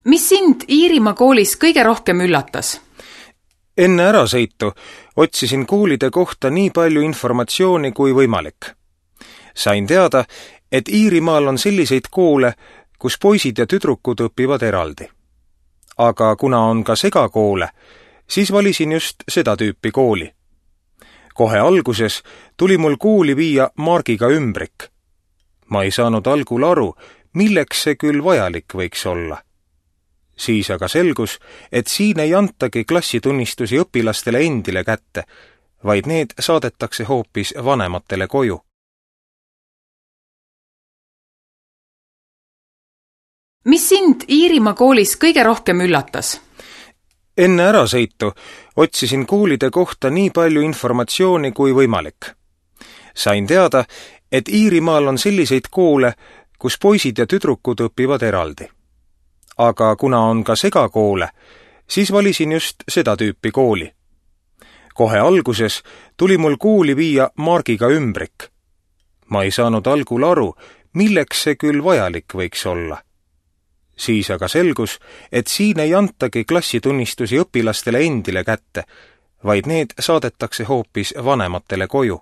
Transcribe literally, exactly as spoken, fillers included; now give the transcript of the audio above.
Mis sind Iirimaa koolis kõige rohkem üllatas? Enne ärasõitu otsisin koolide kohta nii palju informatsiooni kui võimalik. Sain teada, et Iirimaal on selliseid koole, kus poisid ja tüdrukud õpivad eraldi. Aga kuna on ka segakoole, siis valisin just seda tüüpi kooli. Kohe alguses tuli mul kooli viia margiga ümbrik. Ma ei saanud algul aru, milleks see küll vajalik võiks olla. Siis aga selgus, et siin ei antagi klassitunnistusi õpilastele endile kätte, vaid need saadetakse hoopis vanematele koju. Mis sind Iirimaa koolis kõige rohkem üllatas? Enne ärasõitu otsisin koolide kohta nii palju informatsiooni kui võimalik. Sain teada, et Iirimaal on selliseid koole, kus poisid ja tüdrukud õpivad eraldi. Aga kuna on ka segakoole, siis valisin just seda tüüpi kooli. Kohe alguses tuli mul kooli viia margiga ümbrik. Ma ei saanud algul aru, milleks see küll vajalik võiks olla. Siis aga selgus, et siin ei antagi klassitunnistusi õpilastele endile kätte, vaid need saadetakse hoopis vanematele koju.